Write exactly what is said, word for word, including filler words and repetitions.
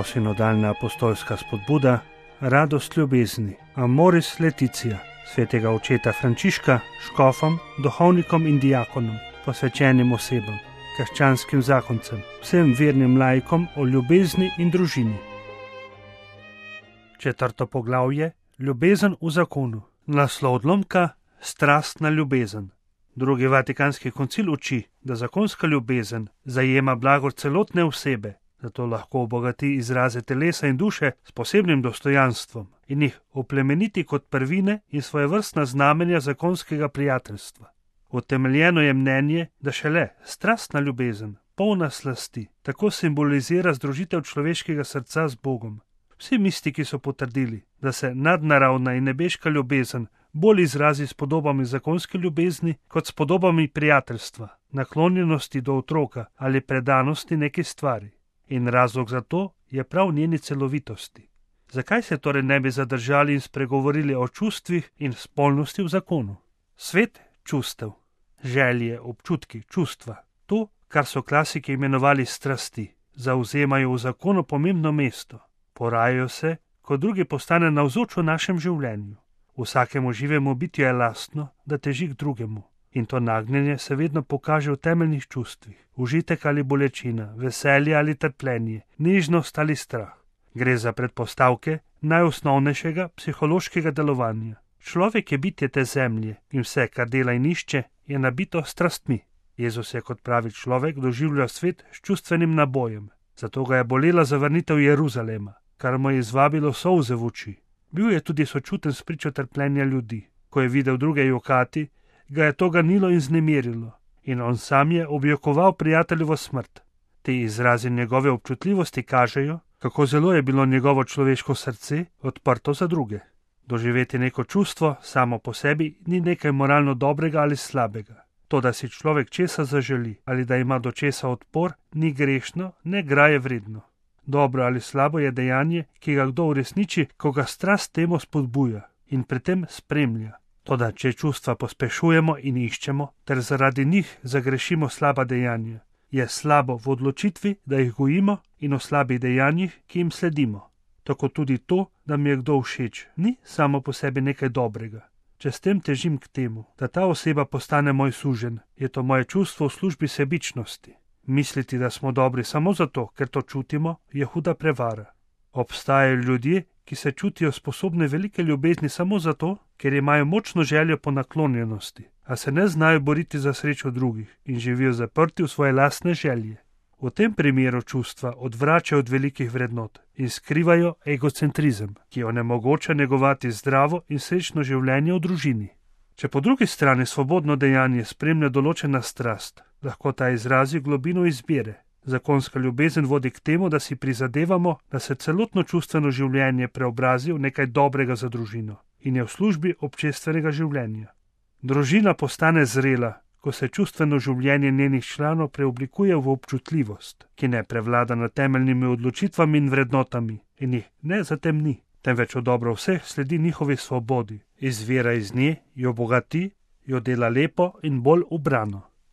novosinodalna apostolska spodbuda, radost ljubezni, Amoris Laetitia, svetega očeta Frančiška, škofom, duhovnikom in diakonom, posvečenim osebam, krščanskim zakoncem, vsem vernim laikom o ljubezni in družini. Četrto poglavje, ljubezen v zakonu. Naslov odlomka, strastna ljubezen. Drugi vatikanski koncil uči, da zakonska ljubezen zajema blagor celotne osebe, zato lahko obogati izraze telesa in duše s posebnim dostojanstvom in jih oplemeniti kot prvine in svojevrstna znamenja zakonskega prijateljstva. Utemeljeno je mnenje, da šele strastna ljubezen, polna slasti, tako simbolizira združitev človeškega srca z Bogom. Vsi mistiki so potrdili, da se nadnaravna in nebeška ljubezen bolj izrazi s podobami zakonske ljubezni kot s podobami prijateljstva, naklonjenosti do otroka ali predanosti neki stvari. In razlog za to je prav njeni celovitosti. Zakaj se torej ne bi zadržali in spregovorili o čustvih in spolnosti v zakonu? Svet čustev, želje, občutki, čustva, to, kar so klasiki imenovali strasti, zauzemajo v zakonu pomembno mesto. Porajajo se, ko drugi postane navzoč v našem življenju. Vsakemu živemu bitju je lastno, da teži k drugemu. In to nagnjenje se vedno pokaže v temeljnih čustvih. Užitek ali bolečina, veselje ali trpljenje, nežnost ali strah. Gre za predpostavke najosnovnejšega psihološkega delovanja. Človek je bitje te zemlje in vse, kar dela in išče, je nabito strastmi. Jezus je kot pravi človek doživljal svet s čustvenim nabojem. Zato ga je bolela zavrnitev Jeruzalema, kar mu je izvabilo solze v oči. Bil je tudi sočuten s pričo trpljenja ljudi. Ko je videl druge jokati, ga je to ganilo in znemirilo. In on sam je objokoval prijateljevo smrt. Te izrazi njegove občutljivosti kažejo, kako zelo je bilo njegovo človeško srce odprto za druge. Doživeti neko čustvo samo po sebi ni nekaj moralno dobrega ali slabega. To, da si človek česa zaželi ali da ima do česa odpor, ni grešno, ne graje vredno. Dobro ali slabo je dejanje, ki ga kdo uresniči, ko ga strast temu spodbuja in pri tem spremlja. Toda, če čustva pospešujemo in iščemo, ter zaradi njih zagrešimo slaba dejanja, je slabo v odločitvi, da jih gojimo, in o slabih dejanjih, ki jim sledimo. Tako tudi to, da mi je kdo všeč, ni samo po sebi nekaj dobrega. Če s tem težim k temu, da ta oseba postane moj suženj, je to moje čustvo v službi sebičnosti. Misliti, da smo dobri samo zato, ker to čutimo, je huda prevara. Obstajajo ljudje, ki se čutijo sposobne velike ljubezni samo zato, ker imajo močno željo po naklonjenosti, a se ne znajo boriti za srečo drugih in živijo zaprti v svoje lastne želje. V tem primeru čustva odvračajo od velikih vrednot in skrivajo egocentrizem, ki onemogoča negovati zdravo in srečno življenje v družini. Če po drugi strani svobodno dejanje spremlja določena strast, lahko ta izrazi globino izbire. Zakonska ljubezen vodi k temu, da si prizadevamo, da se celotno čustveno življenje preobrazi v nekaj dobrega za družino in je v službi občestvenega življenja. Družina postane zrela, ko se čustveno življenje njenih članov preoblikuje v občutljivost, ki ne prevlada nad temeljnimi odločitvami in vrednotami in jih ne zatemni, temveč v dobro vseh sledi njihovi svobodi, izvira iz nje, jo bogati, jo dela lepo in bolj ubrano.